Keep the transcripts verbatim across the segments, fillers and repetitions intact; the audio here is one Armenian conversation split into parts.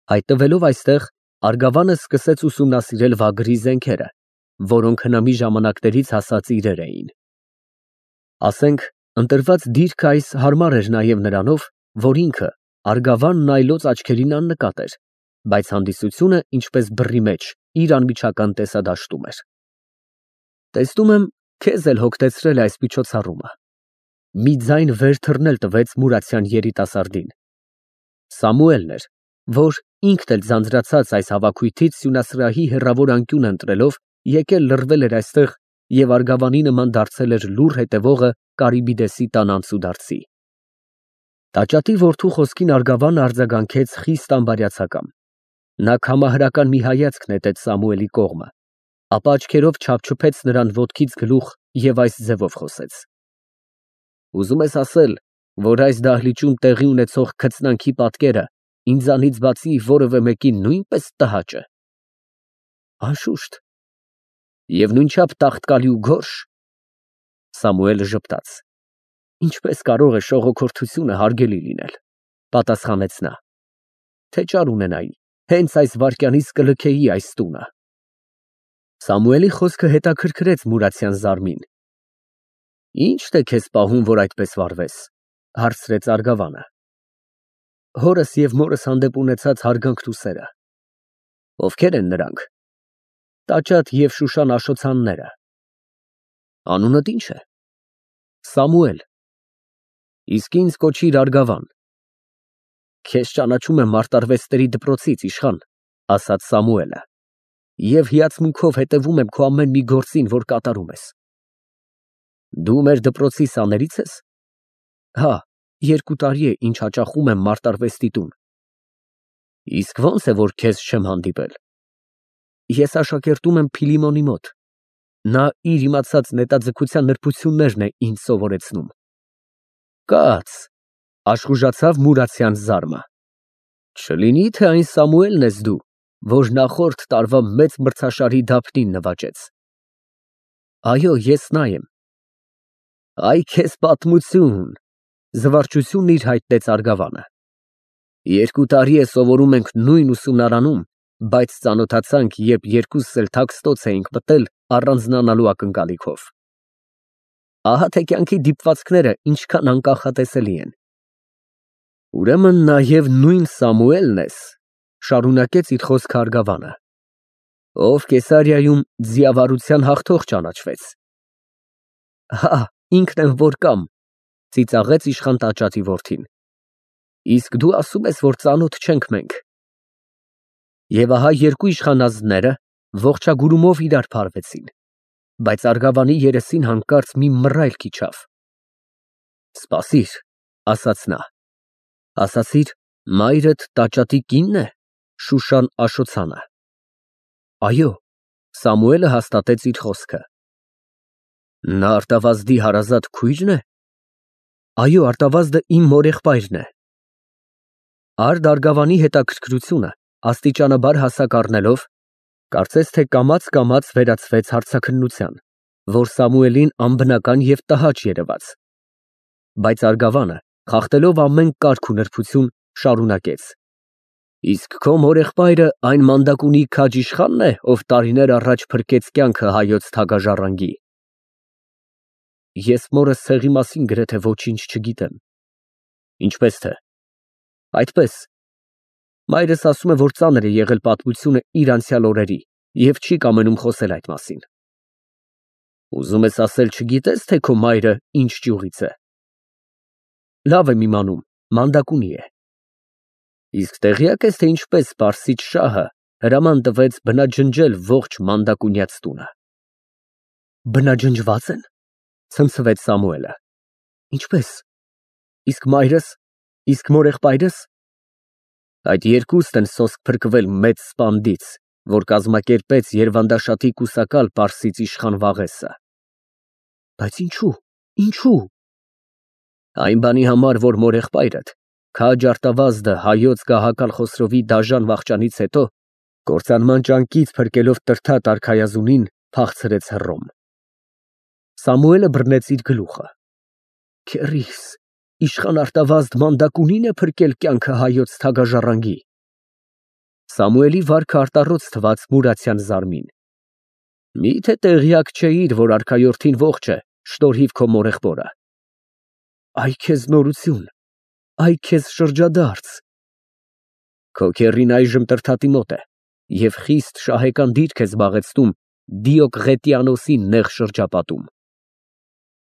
Հայտնվելով այստեղ, Արգավանը սկսեց ուսումնասիրել վագրի զենքերը, որոնք հնամի ժամանակներից հասած իրեր էին։ Ասենք, ընտրված դիրքը այս հարմար էր նաև նրանով, որ ինքը, Արգավանն այլոց աչքերին աննկատ էր, բայց հանդիսությունը, ինչպես բռի մեջ, իր անմիջական տեսադաշտում էր։ Տեսնում եմ, քեզ էլ հոգտեցրել է այս միջոցառումը։ Մի ձայն վեր թռնել տվեց Մուրացյան երիտասարդին։ Սամուելն էր, որ ինքն էլ ձանձրացած այս հավաքույթից սյունասրահի հեռավոր անկյուն ընտրելով, եկել լռվել էր այստեղ և Արգավանի նման դարձել էր լուռ հետևողը Կարիբիդեսի տան անցուդարձի։ Տաճատի որդու խոսքին Արգավանը արձագանքեց խիստ անբարյացակամ։ Նա քամահրական մի հայացք նետեց Սամուելի կողմը, ապա աչքերով չափչփեց նրան ոտքից գլուխ և այս ձևով խոսեց. Ուզում ես ասել, որ այս դահլիճում տեղի ունեցող քծնանքի պատկերը ինձանից բացի որևէ մեկին նույնպես տհաճ է։ Անշուշտ։ Եվ նույնչափ տաղտկալի ու գորշ։ Սամուելը ժպտաց։ Ինչպես կարող է շողոքորթությունը հարգելի լինել, պատասխանեց նա։ Թե ճար ունենայի, հենց այս վայրկյանից կլքեի այս տունը։ Սամուելի խոսքը հետաքրքրեց Մուրացյան զարմին։ Ի՞նչն է քեզ պահում, որ այդպես վարվես, հարցրեց Արգավանը։ Հորս և մորս հանդեպ ունեցած հարգանքն ու սերը։ Ովքեր են նրանք։ Տաճատ և Շուշան աշոցանները։ Անունդ ի՞նչ է։ Սամուել։ Իսկ ինձ կոչիր Արգավան։ Քեզ ճանաչում եմ մարտարվեստների դպրոցից, իշխան, ասաց Սամուելը, և հիացմունքով հետևում եմ քո ամեն մի գործին, որ կատարում ես։ Դու մեր դպրոցի սաների՞ց ես։ Հա, երկու տարի է, ինչ հաճախում եմ մարտարվեստի տուն։ Իսկ ո՞նց է, որ քեզ չեմ հանդիպել։ Ես աշակերտում եմ Փիլիմոնի մոտ։ Նա իր իմացած նետաձգության նրբություններն է ինձ սովորեցնում։ Կաց, աշխուժացավ Մուրացյան զարմը։ Չլինի թե այն Սամուելն ես դու, որ նախորդ տարվա մեծ մրցաշարի դափնին նվաճեց։ Այո, ես նա եմ։ Այ քեզ պատմություն, զվարճությունն իր հայտնեց Արգավանը։ Երկու տարի է սովորում ենք նույն ուսումնարանում, բայց ծանոթացանք, երբ երկուսս էլ թաքստոց էինք մտել առանձնանալու ակնկալիքով։ Ահա թե կյանքի դիպվածքները ինչքան անկանխատեսելի են։ Ուրեմն նաև նույն Սամուելն ես, շարունակեց իր խոսքը Արգավանը, ով Կեսարիայում ձիավարության հաղթող ճանաչվեց։ Հա, ինքն եմ որ կամ, ծիծաղեց իշխան տաճատի որդին։ Իսկ դու ասում ես, որ ծանոթ չենք մենք։ Եվ ահա երկու իշխանազնները ողջագուրումով իրար փարվեցին, բայց Արգավանի երեսին հանկարծ մի մռայլ իջավ։ Սպասիր, ասաց նա, ասացիր, մայրդ տաճատի կինն է, Շուշան Աշոցանը։ Այո, Սամուելը հաստատեց իր խոսքը։ Նա Արտավազդի հարազատ քույրն է։ Այո, Արտավազդը իմ մորեղբայրն է։ Արդ Արգավանի հետաքրքրությունը աստիճանաբար հասակ առնելով, կարծես թե կամաց-կամաց վերածվեց հարցաքննության, որ Սամուելին անբնական և տհաճ երևաց։ Բայց Արգավանը, խախտելով ամեն կարգ ու նրբություն, շարունակեց. Իսկ քո մորեղբայրը այն մանդակունի քաջ իշխանն է, ով տարիներ առաջ փրկեց կյանքը հայոց թագաժառանգի։ Ես մորս ցեղի մասին գրեթե ոչինչ չգիտեմ։ Ինչպես թե։ Այդպես։ Մայրս ասում է, որ ծանր է եղել պատմությունը իր անցյալ օրերի և չի կամենում խոսել այդ մասին։ Ուզում ես ասել, չգիտես, թե քո մայրը ինչ ճյուղից է։ Լավ եմ իմանում, մանդակունի է։ Իսկ տեղյակ ես, թե ինչպես Պարսից շահը հրաման տվեց բնաջնջել ողջ մանդակունյաց տունը։ Բնաջնջված են, ցնցվեց Սամուելը։ Ինչպես։ Իսկ մայրս, իսկ մորեղբայրս։ Այդ երկուստ են սոսկ փրկվել մեծ սպանդից, որ կազմակերպեց Երվանդաշատի կուսակալ պարսից իշխան Վաղեսը։ Բայց ինչու, ինչու։ Այն բանի համար, որ մորեղբայրդ քաջ Արտավազդը հայոց գահակալ Խոսրովի դաժան վախճանից հետո կործանման ճանկից փրկելով տրթատ արքայազունին փախցրեց Հռոմ։ Սամուելը բռնեց իր գլուխը։ Քեռիս, իշխան Արտավազդ մանդակունի՞ն է փրկել կյանքը հայոց թագաժառանգի։ Սամուելի վարքը արտառոց թված Մուրացյան Զարմին։ Միթե տեղյակ չէիր, որ արքայորդին ողջ է, շնորհիվ քո մորեղբորը։ Այ քեզ նորություն, այ քեզ շրջադարձ։ Քո քեռին այժմ Տրդատի մոտ է և խիստ շահեկան դիրք է զբաղեցնում Դիոկղետիանոսի նեղ շրջապատում։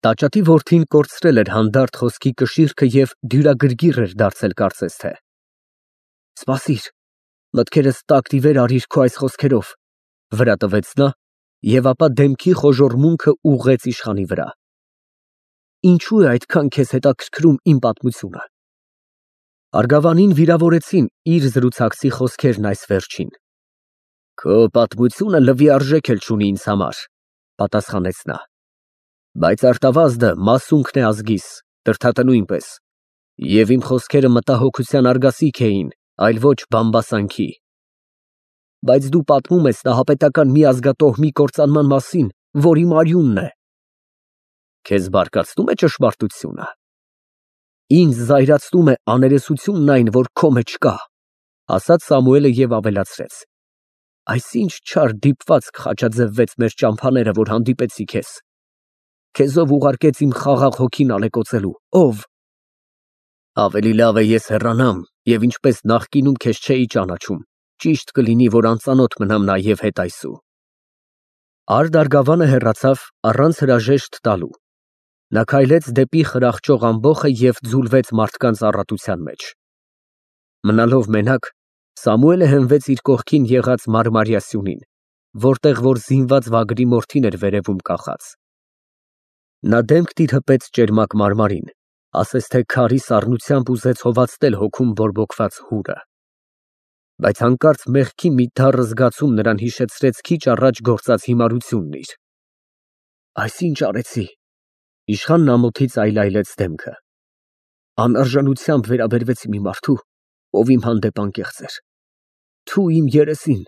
Տաճատի որդին կորցրել էր հանդարտ խոսքի կշիռքը և դյուրագրգիռ էր դարձել կարծես թե։ Սպասիր, մտքերս տակտիվեր արիր քո այս խոսքերով, վրա տվեց նա և ապա դեմքի խոժոռմունքը ուղղեց իշխանի վրա։ Ինչո՞ւ է այդքան քեզ հետաքրքրում իմ պատմությունը։ Արգավանին վիրավորեցին իր զրուցակցի խոսքերն այս վերջին։ Քո պատմությունը լվիարժեք էլ չունի ինձ համար, պատասխանեց նա, բայց արտավազդը մասունքն է ազգիս, Տրդատը նույնպես, և իմ խոսքերը մտահոգության արգասիք էին, այլ ոչ բամբասանքի։ Բայց դու պատմում ես նահապետական մի ազգատոհմի կործանման մասին, որի մարյունն է։ Քեզ բարկացնու՞մ է ճշմարտությունը։ Ինձ զայրացնում է աներեսությունն այն, որ քո մեջ կա, ասաց Սամուելը և ավելացրեց. Այսինչ չար դիպվածք խաչաձևվեց մեր ճամփաները, որ հանդիպեցի քեզ։ Քեզով ուղարկեց իմ խաղաղ հոգին ալեկոծելու, ով։ Ավելի լավ է ես հեռանամ, և ինչպես նախկինում քեզ չէի ճանաչում, ճիշտ կլինի, որ անծանոթ մնամ նաև հետայսու։ Արդ արգավանը հեռացավ առանց հրաժեշտ տալու։ Նա քայլեց դեպի խրախճող ամբոխը և ձուլվեց մարդկանց առատության մեջ։ Մնալով մենակ, Սամուելը հենվեց իր կողքին եղած մարմարյա սյունին, որտեղ որ զինված վագրի մորթին էր վերևում կախած։ Նա դեմք դիրհպեց ճերմակ մարմարին, ասես թե քարի սառնությամբ ուզեց հովացնել հոգում բորբոքված հուրը։ Բայց հանկարծ մեղքի մի դառն զգացում նրան հիշեցրեց քիչ առաջ գործած հիմարությունն իր։ Այս ինչ արեցի։ Իշխանն ամոթից այլայլեց դեմքը։ Անարժանությամբ վերաբերվեցի մի մարդու, ով իմ հանդեպ անկեղծ էր։ Թու իմ երեսին։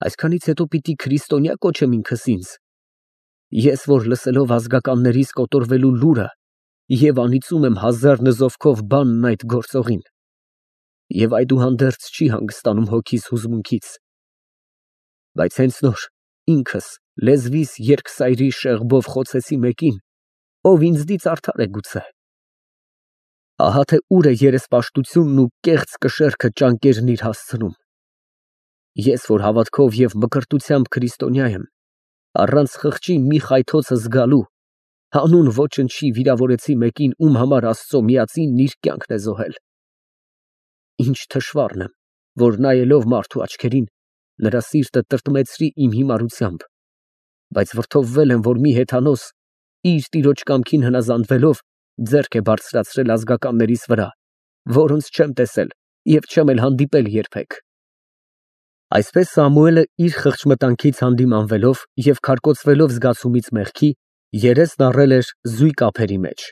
Այսքանից հետո պիտի քրիստոնյա կոչեմ ինքս ինձ։ Ես, որ լսելով ազգականներիս կոտորվելու լուրը և անիծում եմ հազար նզովքով բանն այդ գործողին, և այդուհանդերձ չի հանգստանում հոգիս հուզմունքից։ Բայց հենց նոր ինքս լեզվիս երկսայրի շեղբով խոցեցի մեկին, ով ինձնից արդար է գուցե։ Ահա թե ուր է երեսպաշտությունն ու կեղծ կշեռքը ճանկերն իր հասցնում։ Ես, որ հավատքով և մկրտությամբ քրիստոնյա եմ, առանց խղճի մի խայթոցը զգալու, հանուն ոչնչի վիրավորեցի մեկին, ում համար Աստծո միածինն իր կյանքն է զոհել։ Ինչ թշվառն եմ, որ նայելով մարդու աչքերին, նրա սիրտը տրտմեցրի իմ հիմարությամբ, բայց վրդովվել եմ, որ մի հեթանոս, իր տիրոջ կամքին հնազանդվելով, ձեռք է բարձրացրել ազգականներիս վրա, որոնց չեմ տեսել և չեմ էլ հանդիպել երբեք։ Այսպես Սամուելը իր խղճմտանքից հանդիմանվելով և քարկոծվելով զգացումից մեղքի, երեսն առել էր զույգ ափերի մեջ,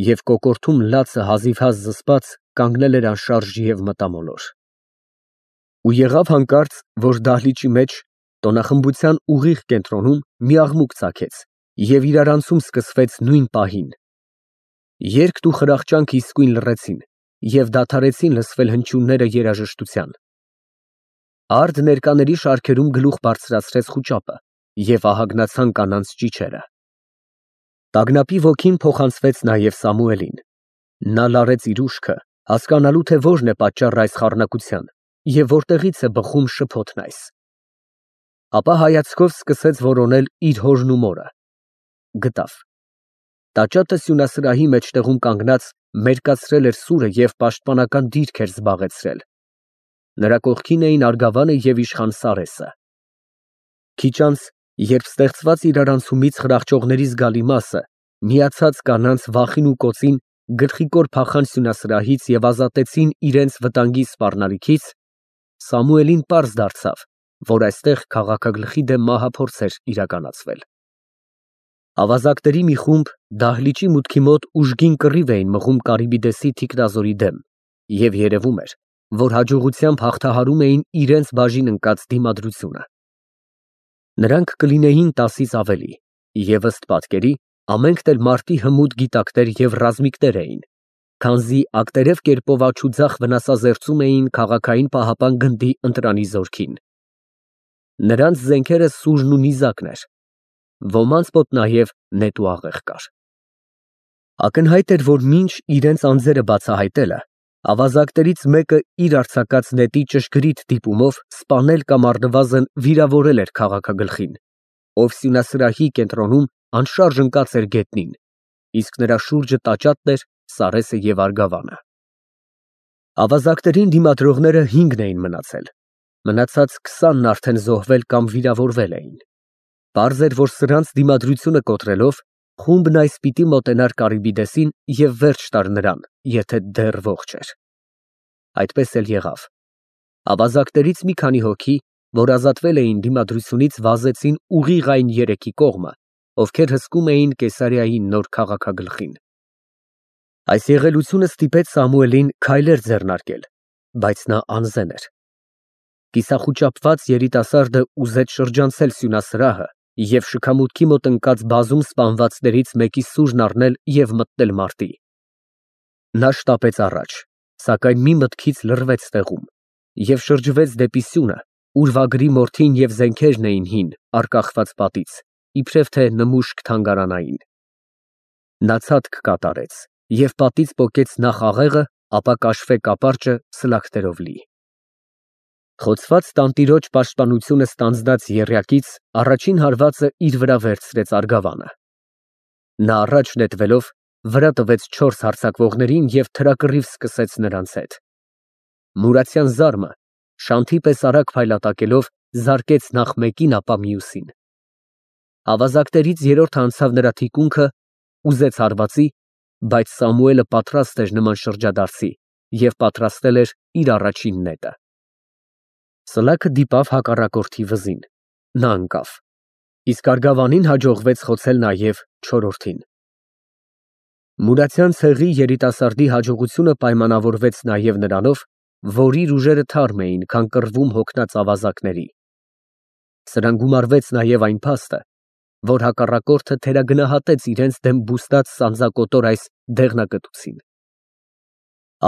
և կոկորդում լացը հազիվհազ զսպած կանգնել էր անշարժ և մտամոլոր։ Ու եղավ հանկարծ, որ դահլիճի մեջ, տոնախմբության ուղիղ կենտրոնում մի աղմուկ ծագեց և իրարանցում սկսվեց նույն պահին։ Երգն ու խրախճանքը իսկույն լռեցին և դադարեցին լսվել հնչյունները երաժշտության։ Արդ ներկաների շարքերում գլուխ բարձրացրեց խուճապը և ահագնացան կանանց ճիչերը։ Տագնապի ոգին փոխանցվեց նաև Սամուելին։ Նա լարեց իր ուշքը, հասկանալու թե որն է պատճառը այս խառնակության և որտեղից է բխում շփոթն այս։ Ապա հայացքով սկսեց որոնել իր հորն ու մորը։ Գտավ։ Տաճատը սյունասրահի մեջտեղում կանգնած մերկացրել էր սուրը և պաշտպանական դիրք էր զբաղեցրել։ Նրա կողքին էին արգավանը և իշխան Սարեսը։ Քիչ անց, երբ ստեղծված իրարանցումից խրախճողների զգալի մասը, միացած կանանց վախին ու կոծին, գլխիկոր փախան սյունասրահից և ազատեցին իրենց վտանգի սպառնալիքից, Սամուելին պարզ դարձավ, որ այստեղ քաղաքագլխի դեմ մահափորձ էր իրականացվել։ Ավազակների մի խումբ դահլիճի մուտքի մոտ ուժգին կռիվ էին մղում Կարիբիդեսի թիկնազորի դեմ, և երևում էր, որ հաջողությամբ հաղթահարում էին իրենց բաժին ընկած դիմադրությունը։ Նրանք կլինեին տասից ավելի, և ըստ պատկերի, ամենքն էլ մարտի հմուտ գիտակներ և ռազմիկներ էին։ Քանզի ակտերև կերպով աջուձախ վնասազերծում էին քաղաքային պահապան գնդի ընտրանի զորքին։ Նրանց զենքերը սուժն ու նիզակն էր, ոմանց մոտ նաև նետ ու աղեղ կար։ Ակնհայտ էր, որ մինչ իրենց անձերը բացահայտելը, ավազակներից մեկը իր արձակած նետի ճշգրիտ դիպումով սպանել կամ առնվազն վիրավորել էր քաղաքագլխին, ով սյունասրահի կենտրոնում անշարժ ընկած էր գետնին, իսկ նրա շուրջը տաճատն էր, Սարեսը և Արգավանը։ Ավազակներին դիմադրողները հինգն էին մնացել, մնացած քսանն արդեն զոհվել կամ վիրավորվել էին։ Պարզ էր, որ սրանց դիմադրությունը կոտրելով խումբն այսպիտի մոտենար Կարիբիդեսին և վերջ տար նրան, եթե դեռ ողջ էր։ Այդպես էլ եղավ։ Ավազակներից մի քանի հոգի, որ ազատվել էին դիմադրությունից, վազեցին ուղիղ այն երեքի կողմը, ովքեր հսկում էին Կեսարիայի նոր քաղաքագլխին։ Այս եղելությունը ստիպեց Սամուելին քայլեր ձեռնարկել, բայց նա անզեն էր։ Կիսախուճապված երիտասարդը ուզեց շրջանցել սյունասրահը և շքամուտքի մոտ ընկած բազում սպանվածներից մեկի սուրն առնել և մտնել մարտի։ Նա շտապեց առաջ, սակայն մի մտքից լռվեց տեղում և շրջվեց դեպի սյունը, ուր վագրի մորթին և զենքերն էին հին, առկախված պատից, իբրև թե նմուշք թանգարանային։ Նա ցատկ կատարեց և պատից պոկեց նախ աղեղը, ապա կաշվե կապարճը սլաքներով լի։ Խոցված տանտիրոջ պաշտպանությունը ստանձնած եռյակից առաջին հարվածը իր վրա վերցրեց Արգավանը։ Նա առաջ նետվելով վրա տվեց չորս հարձակվողներին և թրակռիվ սկսեց նրանց հետ։ Մուրացյան զարմը շանթի պես արագ փայլատակելով զարկեց նախ մեկին, ապա մյուսին։ Ավազակներից երրորդը անցավ նրա թիկունքը, ուզեց հարվածի, բայց Սամուելը պատրաստ էր նման շրջադարձի և պատրաստել էր իր առաջին նետը։ Սլաքը դիպավ հակառակորդի վզին, նա ընկավ, իսկ Արգավանին հաջողվեց խոցել նաև չորրորդին։ Մուրացյան ցեղի երիտասարդի հաջողությունը պայմանավորվեց նաև նրանով, որ իր ուժերը թարմ էին, քան կռվում հոգնած ավազակների։ Սրան գումարվեց նաև այն փաստը, որ հակառակորդը թերագնահատեց իրենց դեմ բուստած սանձակոտոր այս դեղնակտուցին։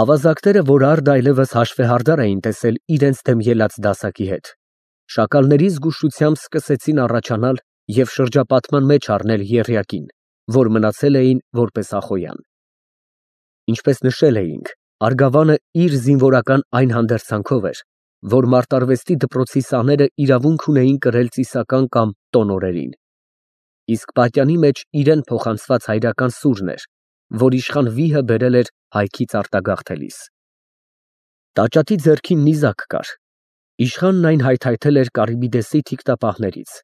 Ավազակները, որ առ այլևս հաշվեհարդար էին տեսել իրենց դեմ ելած դասակի հետ, շակալների զգուշությամբ սկսեցին առաջանալ և շրջապատման մեջ առնել եռյակին, որ մնացել էին որպես Ախոյան։ Ինչպես նշել էինք, Արգավանը իր զինվորական այն հանդերձանքով էր, որ մարտարվեստի դպրոցի սաները իրավունք ունեին կրել ծիսական կամ տոն օրերին, իսկ պատյանի մեջ իրեն փոխանցված հայրական սուրն էր, որ իշխան վիհը բերել էր հայքից արտագաղթելիս։ Տաճատի ձեռքին նիզակ կար։ Իշխանն այն հայթայթել էր Կարիբիդեսի թիկտապահներից,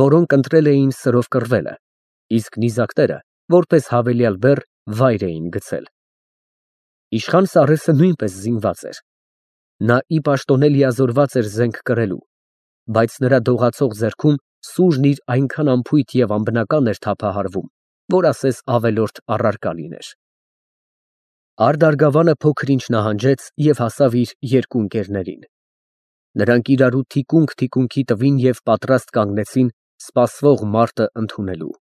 որոնք ընտրել էին սրով կռվելը, իսկ նիզակները, որպես հավելյալ բեռ, վայր էին գցել։ Իշխան Սարեսը նույնպես զինված էր։ Նա ի պաշտոնե լիազորված էր զենք կրելու, բայց նրա դողացող ձեռքում սուրն իր այնքան անփույթ և անբնական էր թափահարվում, որ ասես ավելորդ առարկա լիներ։ Արդ Արգավանը փոքր ինչ նահանջեց և հասավ իր երկու ընկերներին։ Նրանք իրարու թիկունք թիկունքի տվին և պատրաստ կանգնեցին սպասվող մարտը ընդունելու։